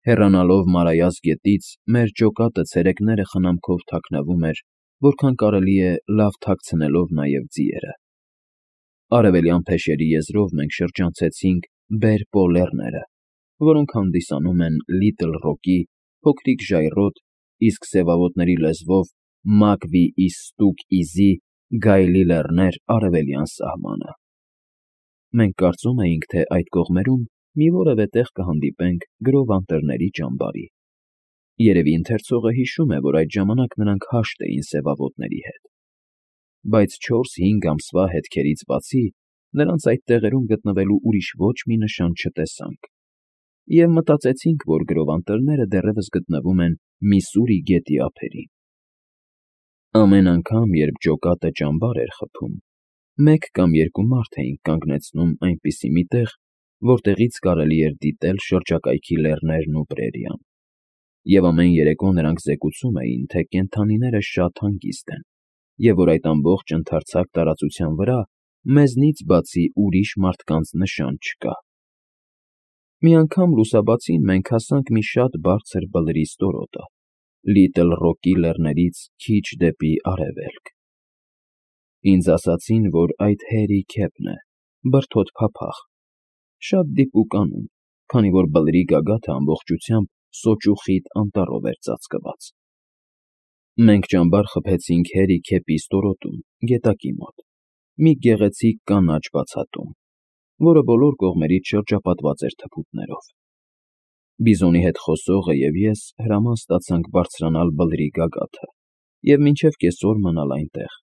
Հեռանալով Մարայաս գետից, մեր ջոկատը ցերեկները խնամքով թաքնվում էր, որքան կարելի է լավ թաքցնելով նաև ձիերը։ Արևելյան փեշերի եզրով մենք շրջանցեցինք Բեր-Պո լեռները, որոնք հանդիսանում են Լիտլ Ռոկի փոքրիկ ժայռոտ, իսկ սևավոտների լեզվով Մակվի-ի-Ստուկ-Իզի գայլի լեռներ արևելյան սահմանը։ Մենք կարծում էինք, թե այդ կողմերում մի որևէ տեղ կհանդիպենք գրով անտառների ճամբարի։ Երևի ընթերցողը հիշում է, որ այդ ժամանակ նրանք հաշտ էին սևավոտների հետ։ Բայց 4-5 ամսվա հետքերից բացի նրանց այդ տեղերում գտնվելու ուրիշ ոչ մի նշան չտեսանք, և մտածեցինք, որ գրով անտառները դեռևս գտնվում են Միսսուրի գետի ափերին։ Ամեն անգամ, երբ ջոկատը ճամբար էր խփում, մեկ կամ երկու մարդ էինք կանգնեցնում այնպիսի մի տեղ, որտեղից կարելի էր դիտել շրջակայքի լեռներն ու պրերիան, և ամեն երեկո նրանք զեկուցում էին, թե կենդանիները շատ հանգիստ են, և որ այդ ամբողջ ընդարձակ տարածության վրա մեզնից բացի ուրիշ մարդկանց նշան չկա։ Մի անգամ լուսաբացին մենք հասանք մի շատ բարձր բլրի ստորոտը, Լիտլ Ռոկի լեռներից քիչ դեպի արևելք։ Ինձ ասացին, որ այդ Հերի Քեփն է, բրդոտ փափախ, շատ դիպուկ անուն, քանի որ բլրի գագաթը ամբողջությամբ սոճու խիտ անտառով էր ծածկված։ Մենք ճամբար խփեցինք Հերի Քեփի ստորոտում, գետակի մոտ, մի գեղեցիկ կանաչ բացատում, որը բոլոր կողմերից շրջապատված էր թփուտներով։ Բիզոնի հետ խոսողը և ես հրաման ստացանք բարձրանալ բլրի գագաթը և մինչև կեսօր մնալ այնտեղ,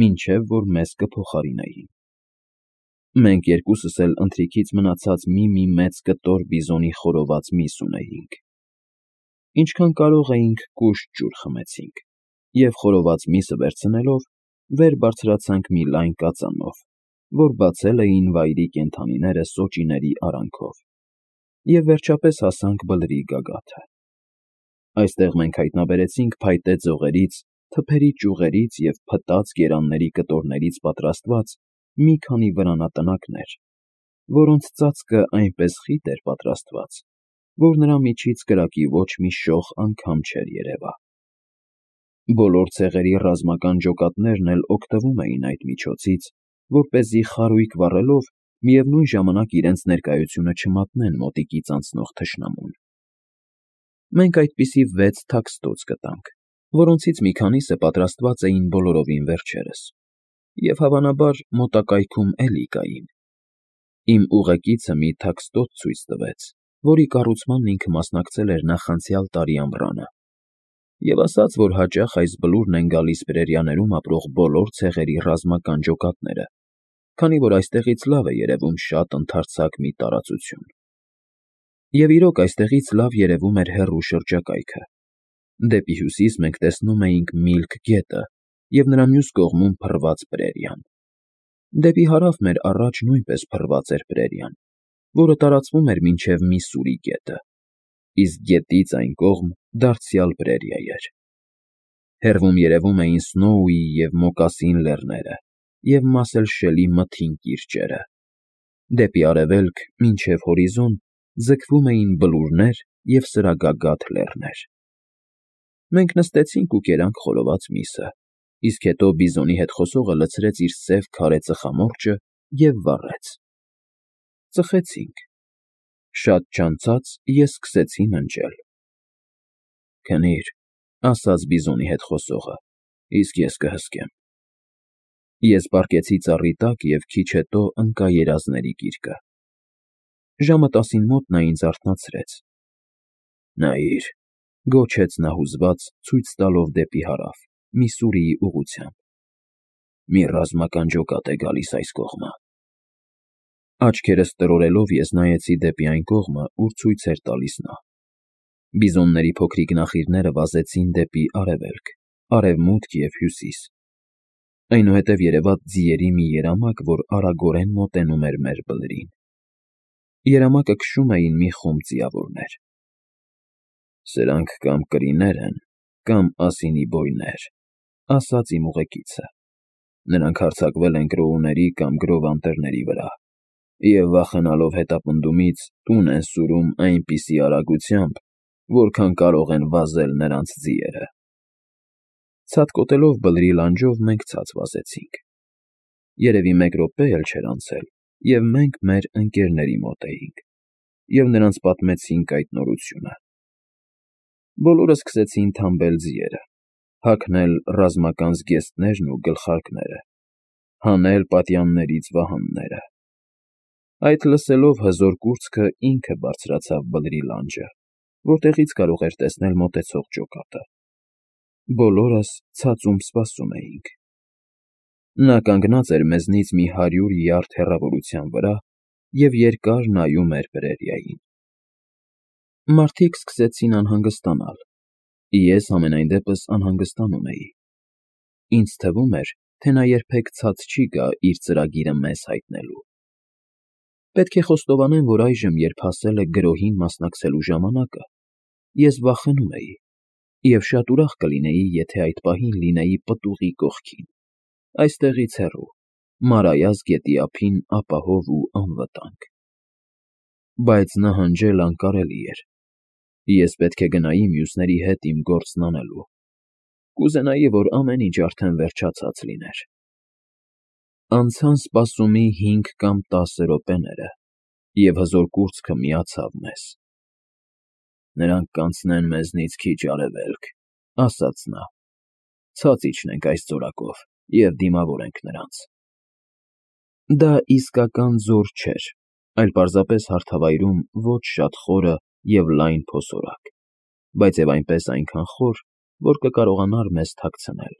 մինչև որ մեզ կփոխարինեին։ Մենք երկուսս էլ ընթրիքից մնացած մի մեծ կտոր բիզոնի խորոված միս ունեինք։ Ինչքան կարող էինք կուշտ ջուր խմեցինք, և խորոված միսը վերցնելով, վեր բարձրացանք մի լայն կածանով, որ բացել էին վայրի կենդանիները սոճիների արանքով, և վերջապես հասանք բլրի գագաթը։ Այստեղ մենք հայտնաբերեցինք փայտե ձողերից, թփերի ճյուղերից և փտած գերանների կտորներից պատրաստված մի քանի վրանատնակներ, որոնց ծածկը այնպես խիտ էր պատրաստված, որ նրա միջից կրակի ոչ մի շող անգամ չէր երևա։ Բոլոր ցեղերի ռազմական ջոկատներն էլ օգտվում էին այդ միջոցից, որպեսզի խարույկ վառելով միևնույն ժամանակ իրենց ներկայությունը չմատնեն մոտիկից անցնող թշնամուն։ Մենք այդպիսի 6 թաքստոց գտանք, որոնցից մի քանիսը պատրաստված էին բոլորովին վերջերս, և հավանաբար մոտակայքում էլի կային։ Իմ ուղեկիցը մի թաքստոց ցույց տվեց, որի կառուցմանն ինքը մասնակցել էր նախանցյալ տարի ամռանը, և ասաց, որ հաճախ այս բլուրն են գալիս պրերիաներում ապրող բոլոր ցեղերի ռազմական ջոկատները, քանի որ այստեղից լավ է երևում շատ ընդարձակ մի տարածություն։ Եվ իրոք այստեղից լավ երևում էր հեռու շրջակայքը։ Դեպի հյուսիս մենք տեսնում էինք Միլք գետը և նրա մյուս կողմում փռված պրերիան։ Դեպի հարավ մեր առաջ նույնպես փռված էր պրերիան, որը տարածվում էր մինչև Միսսուրի գետը, իսկ գետից այն կողմ դարձյալ պրերիա էր։ Հեռվում երևում էին Սնոուի և Մոկասին լեռները և Մասելշելի մթին կիրճերը։ Դեպի արևելք, մինչև հորիզոն, ձգվում էին բլուրներ և սրագագաթ լեռներ։ Մենք նստեցինք ու կերանք խորոված միսը, իսկ հետո բիզոնի հետ խոսողը լցրեց իր սև քարե ծխամորճը և վառեց։ Ծխեցինք։ Շատ չանցած ես սկսեցի ննջել։ «Քնի՛ր,» ասաց բիզոնի հետ խոսողը, «իսկ ես կհսկեմ»։ Ես պառկեցի ծառի տակ և քիչ հետո ընկա երազների գիրկը։ Ժամը 10-ին մոտ նա ինձ արթնացրեց։ «Նայիր,֊ գոչեց նա հուզված, ցույց տալով դեպի հարավ, Միսսուրիի ուղղությամբ,֊ մի ռազմական ջոկատ է գալիս այս կողմը»։ Աչքերս տրորելով ես նայեցի դեպի այն կողմը, ուր ցույց էր տալիս նա։ Բիզոնների փոքրիկ նախիրները վազեցին դեպի արևելք, արևմուտք և հյուսիս։ Այնուհետև երևաց ձիերի մի երամակ, որ արագորեն մոտենում էր մեր բլրին։ Երամակը քշում էին մի խումբ ձիավորներ։ «Սրանք կամ կրիներ են, կամ ասինի բոյներ,֊ ասաց իմ ուղեկիցը։ Նրանք հարձակվել են կրոուների կամ գրով անտառների վրա, և վախենալով հետապնդումից, տուն են սուրում այնպիսի արագությամբ, որքան կարող են վազել նրանց ձիերը։ Ցատկոտելով բլրի լանջով մենք ցած վազեցինք։ Երևի մեկ րոպե էլ չէր անցել, և մենք մեր ընկերների մոտ էինք, և նրանց պատմեցինք այդ նորությունը։ Բոլորը սկսեցին թամբել ձիերը, հագնել ռազմական զգեստներն ու գլխարկները, հանել պատյաններից վահանները։ Այդ լսելով հզոր կուրծքը ինքը բարձրացավ բլրի լանջը, որտեղից կարող էր տեսնել մոտեցող ջոկատը։ Բոլորս ցածում սպասում էինք։ Նա կանգնած էր մեզնից մի 100 յարդ հեռավորության վրա և երկար նայում էր պրերիային։ Մարդիկ սկսեցին անհանգստանալ, ես համենայն դեպս անհանգստանում էի։ Ինձ թվում էր, թե նա երբեք ցած չի գա իր ծրագիրը մեզ հայտնելու։ Պետք է խոստովանեմ, որ այժմ, երբ հասել է գրոհին մասնակցելու ժամանակը, ես վախենում էի և շատ ուրախ կլինեի, եթե այդ պահին լինեի պտուղի կողքին, այստեղից հեռու, Մարայას գետի ափին ապահով ու անվտանգ։ Բայց նահանջել անկարելի էր։ Ես պետք է գնայի մյուսների հետ իմ գործն անելու։ Կուզենայի, որ ամեն ինչ արդեն վերջացած լիներ։ Անցան սպասումի 5 կամ 10 րոպեները, և հզոր կուրծքը միացավ մեզ։ «Նրանք կանցնեն մեզնից քիչ արևելք,» ասաց նա։ «Ցած իջնենք այս ձորակով և դիմավորենք նրանց»։ Դա իսկական ձոր չէր, այլ պարզապես հարթավայրում ոչ շատ խորը և լայն փոսորակ, բայց և այնպես այնքան խոր, որ կկարողանար մեզ թաքցնել։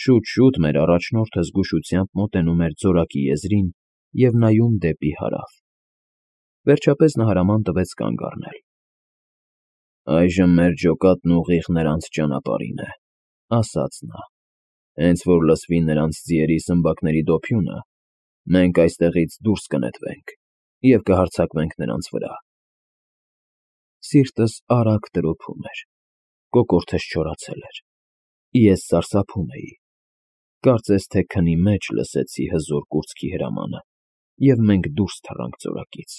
Շուտ-շուտ մեր առաջնորդը զգուշությամբ մոտենում էր ձորակի եզրին և նայում դեպի հարավ։ Վերջապես նա հրաման տվեց կանգ առնել։ «Այժմ մեր ջոկատն ուղիղ նրանց ճանապարհին է,» ասաց նա։ «Հենց որ լսվի նրանց ձիերի սմբակների դոփյունը, մենք այստեղից դուրս կնետվենք և կհարձակվենք նրանց վրա»։ Սիրտս արագ տրոփում էր, կոկորդս չորացել էր։ Ես սարսափում էի։ Կարծես թե քնի մեջ լսեցի հզոր կուրծքի հրամանը, և մենք դուրս թռանք ձորակից։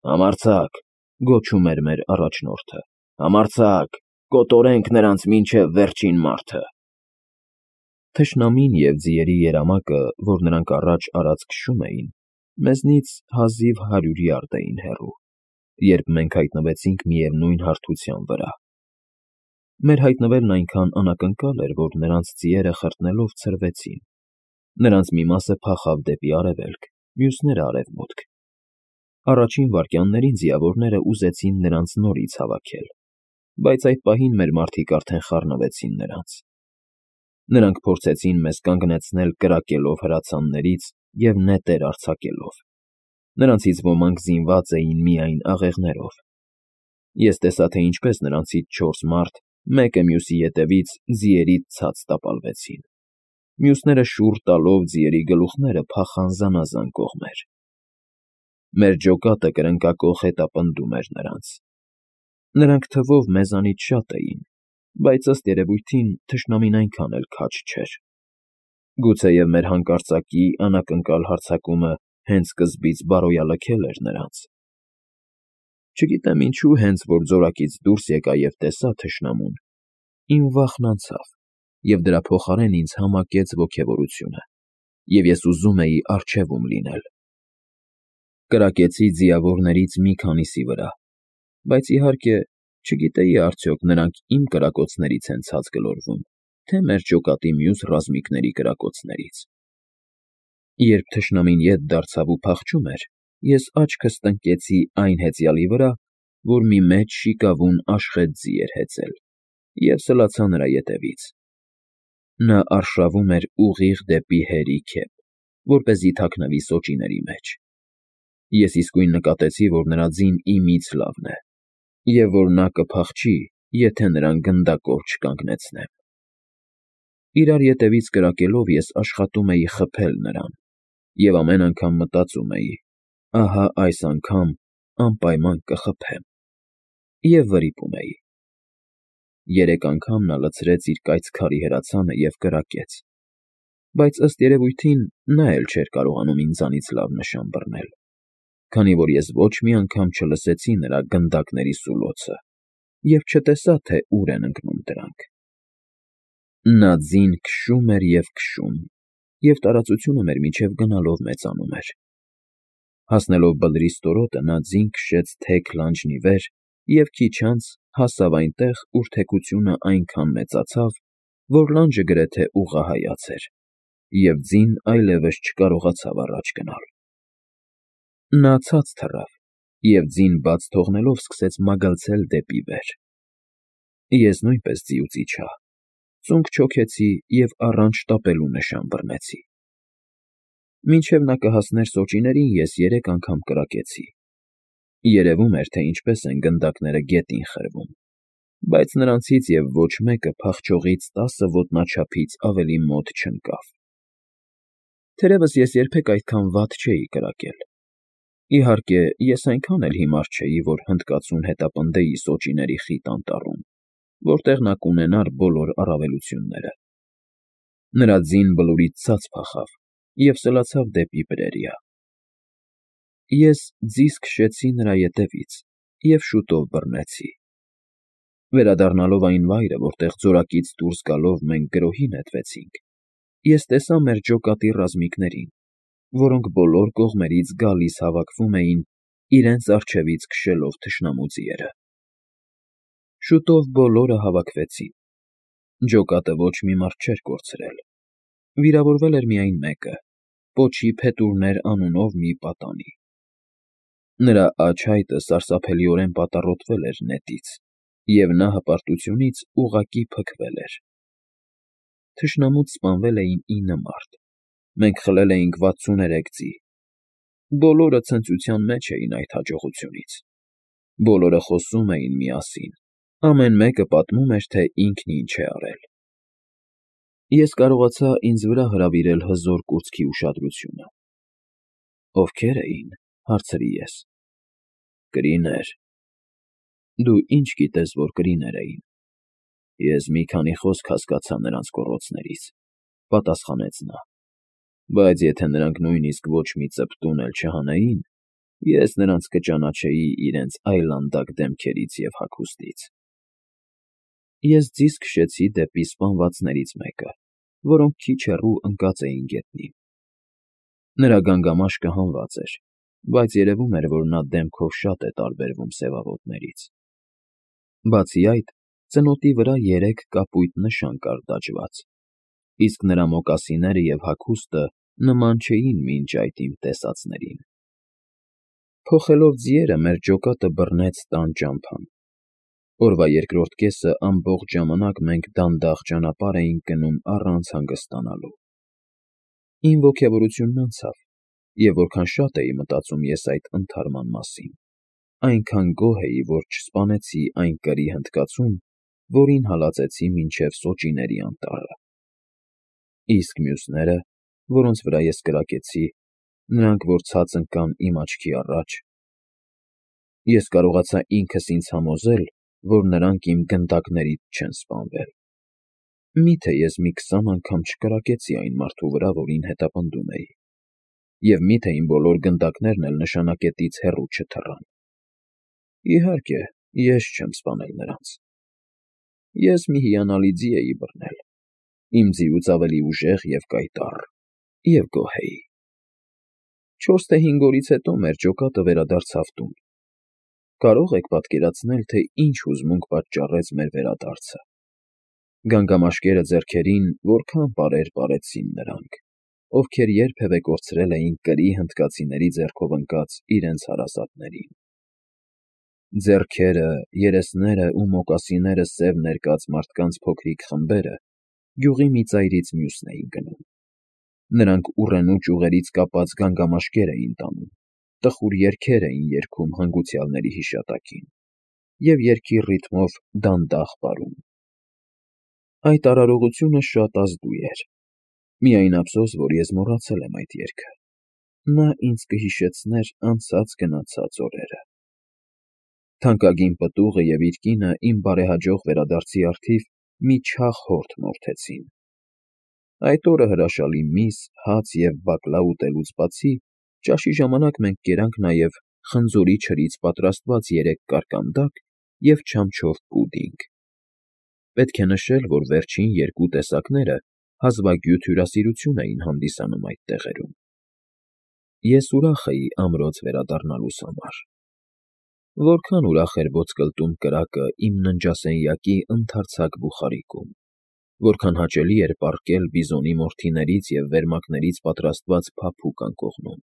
«Համարձակ,» գոչում էր մեր առաջնորդը, «համարձակ, կոտորենք նրանց մինչև վերջին մարդը»։ Թշնամին և ձիերի երամակը, որ նրանք առաջ արած քշում էին, մեզնից հազիվ 100 յարդ էին հեռու, երբ մենք հայտնվեցինք միևնույն հարթության վրա։ Մեր հայտնվելն այնքան անակնկալ էր, որ նրանց ձիերը խրտնելով ցրվեցին։ Նրանց մի մասը փախավ դեպի արևելք, մյուսները՝ արևմուտք։ Առաջին վայրկյաններին ձիավորները ուզեցին նրանց նորից հավաքել, բայց այդ պահին մեր մարդիկ արդեն խառնվեցին նրանց։ Նրանք փորձեցին մեզ կանգնեցնել կրակելով հրացաններից և նետեր արձակելով։ Նրանցից ոմանք զինված էին միայն աղեղներով։ Ես տեսա, թե ինչպես նրանցից 4 մարդ, մեկը մյուսի ետևից, ձիերից ցած տապալվեցին։ Մյուսները շուռ տալով ձիերի գլուխները փախան զանազան կողմեր։ Մեր ջոկատը կրնկակոխ հետապնդում էր նրանց։ Նրանք թվով մեզանից շատ էին, բայց ըստ երևույթին թշնամին այնքան էլ քաջ չէր։ Գուցեև մեր հանկարծակի անակնկալ հարձակումը հենց սկզբից բարոյալքել էր նրանց։ Չգիտեմ ինչու, հենց որ ձորակից դուրս եկա և տեսա թշնամուն, իմ վախն անցավ, և դրա փոխարեն ինձ համակեց ոգևորությունը, և ես ուզում էի առջևում լինել։ Կրակեցի ձիավորներից մի քանիսի վրա, բայց իհարկե չգիտեի արդյոք նրանք իմ կրակոցներից են ցած գլորվում, թե մեր ջոկատի մյուս ռազմիկների կրակոցներից։ Երբ թշնամին ետ դարձավ ու փախչում էր, ես աչքս տնկեցի այն հեծյալի վրա, որ մի մեծ շիկավուն աշխատ ձի էր հեծել, և սլացա նրա ետևից։ Նա արշավում էր ուղիղ դեպի հերի քեֆ, որպեսզի թաքնվի սոճիների մեջ։ Ես իսկույն նկատեցի, որ նրա ձին իմից լավն է, և որ նա կփախչի, եթե նրան գնդակով չկանգնեցնեմ։ Իրար ետևից կրակելով ես աշխատում էի խփել նրան, և ամեն անգամ մտածում էի. ահա այս անգամ անպայման կխփեմ, և վրիպում էի։ 3 անգամ նա լցրեց իր կայծ քարի հրացանը և կրակեց, բայց ըստ երևույթին նա էլ չէր կարողանում ինձանից լավ նշան բռնել։ քանի որ ես ոչ մի անգամ չլսեցի նրա գնդակների սուլոցը և չտեսա, թե ուր են ընկնում դրանք։ Նա ձին քշում էր և քշում, և տարածությունը մեր միջև գնալով մեծանում էր։ Հասնելով բլրի ստորոտը, նա ձին քշեց թեք լանջն ի վեր և քիչ անց հասավ այնտեղ, ուր թեքությունը այնքան մեծացավ, որ լանջը գրեթե ուղղահայաց էր, և ձին այլևս չկարողացավ առաջ գնալ։ Նա ցած թռավ և ձին բաց թողնելով սկսեց մագլցել դեպի վեր։ Ես նույնպես ձիուց իջա, ծունկ չոքեցի և առանց շտապելու նշան բռնեցի։ Մինչև նա կհասներ սոճիներին, ես 3 անգամ կրակեցի։ Երևում էր, թե ինչպես են գնդակները գետին խրվում, բայց նրանցից և ոչ մեկը փախչողից 10 ոտնաչափից ավելի մոտ չընկավ։ Թերևս ես երբեք այդքան վատ չէի կրակել։ Իհարկե, ես այնքան էլ հիմար չէի, որ հնդկացուն հետապնդեի սոճիների խիտ անտառում, որտեղ նա կունենար բոլոր առավելությունները։ Նրա ձին բլուրից ցած փախավ և սլացավ դեպի պրերիա։ Ես ձիզ քշեցի նրա ետևից և շուտով բռնեցի։ Վերադառնալով այն վայրը, որտեղ ձորակից դուրս գալով մենք գրոհի նետվեցինք, ես տեսա մեր ջոկատի ռազմիկներին, որոնք բոլոր կողմերից գալիս հավաքվում էին, իրենց առջևից քշելով թշնամու ձիերը։ Շուտով բոլորը հավաքվեցին։ Ջոկատը ոչ մի մարդ չէր կորցրել։ Վիրավորվել էր միայն մեկը՝ պոչի փետուրներ անունով մի պատանի։ Նրա աջ հայտը սարսափելիորեն պատառոտվել էր նետից, և նա հպարտությունից ուղղակի փքվել էր։ Թշնամուց սպանվել էին 9 մարդ, մենք խլել էինք 63 ձի։ Բոլորը ցնծության մեջ էին այդ հաջողությունից։ Բոլորը խոսում էին միասին, ամեն մեկը պատմում էր, թե ինքն ինչ է արել։ Ես կարողացա ինձ վրա հրավիրել հզոր կուրծքի ուշադրությունը։ Ովքե՞ր էին, հարցրի ես։ Կրիներ։ Դու ինչ գիտես, որ կրիներ էին։ Ես մի քանի խոսք հասկացա նրանց գոռոցներից, պատասխանեց նա, բայց եթե նրանք նույնիսկ ոչ մի ծպտուն էլ չհանեին, ես նրանց կճանաչեի իրենց այլանդակ դեմքերից և հագուստից։ Ես ձիզ քշեցի դեպի սպանվածներից մեկը, որոնք քիչ հեռու ընկած էին գետնին։ Նրա գանգամաշկը հանված էր, բայց երևում էր, որ նա դեմքով շատ է տարբերվում սևավոտներից։ Բացի այդ, ծնոտի վրա 3 կապույտ նշան կար դաջված, իսկ նրա մոկասինները և հագուստը նման չէին մինչ այդ իմ տեսածներին։ Փոխելով ձիերը, մեր ջոկատը բռնեց տան ճամփան։ Օրվա երկրորդ կեսը ամբողջ ժամանակ մենք դանդաղ ճանապարհ էինք գնում առանց հանգստանալու։ Իմ ոգևորությունն անցավ, և որքան շատ էի մտածում ես այդ ընդհարման մասին, այնքան գոհ էի, որ չսպանեցի այն կրի հնդկացուն, որին հալածեցի մինչև Սոճիների անտառը։ Իսկ մյուսները, որոնց վրա ես կրակեցի, նրանք, որ ցած ընկան իմ աչքի առաջ, ես կարողացա ինքս ինձ համոզել, որ նրանք իմ գնդակներից չեն սպանվել։ Մի՞թե ես մի 20 անգամ չկրակեցի այն մարդու վրա, որին հետապնդում էի, և մի՞թե իմ բոլոր գնդակներն էլ նշանակետից հեռու չթռան։ Իհարկե, ես չեմ սպանել նրանց։ Ես մի հիանալի ձի էի բռնել, իմ ձիուց ավելի ուժեղ և կայտառ, և գոհ էի։ 4 թե 5 օրից հետո մեր ջոկատը վերադարձավ տուն։ Կարո՞ղ եք պատկերացնել, թե ինչ հուզմունք պատճառեց մեր վերադարձը։ Գանգամաշկերը ձեռքերին որքան պարեր պարեցին նրանք, ովքեր երբևէ կորցրել էին կրի հնդկացիների ձեռքով ընկած իրենց հարազատներին։ Ձեռքերը, երեսներն ու մոկասինները սև ներկած մարդկանց փոքրիկ խմբերը գյուղի մի ծայրից մյուսն էին գնում։ Նրանք ուռենու ճյուղերից կապած գանգամաշկեր էին տանում, տխուր երգեր էին երգում հանգուցյալների հիշատակին և երգի ռիթմով դանդաղ պարում։ Այդ արարողությունը շատ ազդու էր։ Միայն ափսոս, որ ես մոռացել եմ այդ երգը։ Նա ինձ կհիշեցներ անցած գնացած օրերը։ Թանկագին պտուղը և իր կինը իմ բարեհաջող վերադարձի առթիվ մի չաղ հորթ մորթեցին։ Այդ օրը հրաշալի միս, հաց և բակլա ուտելուց բացի Ճաշի ժամանակ մենք կերանք նաև խնձորի չրից պատրաստված 3 կարկանդակ և չամչով պուդինգ։ Պետք է նշել, որ վերջին 2 տեսակները հազվագյուտ հյուրասիրություն էին հանդիսանում այդ տեղերում։ Ես ուրախ էի ամրոց վերադառնալուս համար։ Որքան ուրախ էր ոսկլտում կրակը իմ ննջասենյակի ընդարձակ բուխարիկում, որքան հաճելի էր պառկել բիզոնի մորթիներից և վերմակներից պատրաստված փափուկ անկողնում։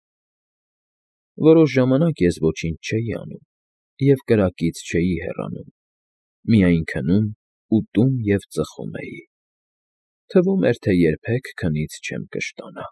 Որոշ ժամանակ ես ոչինչ չէի անում և կրակից չէի հեռանում, միայն քնում, ուտում և ծխում էի։ Թվում էր, թե երբեք քնից չեմ կշտանա։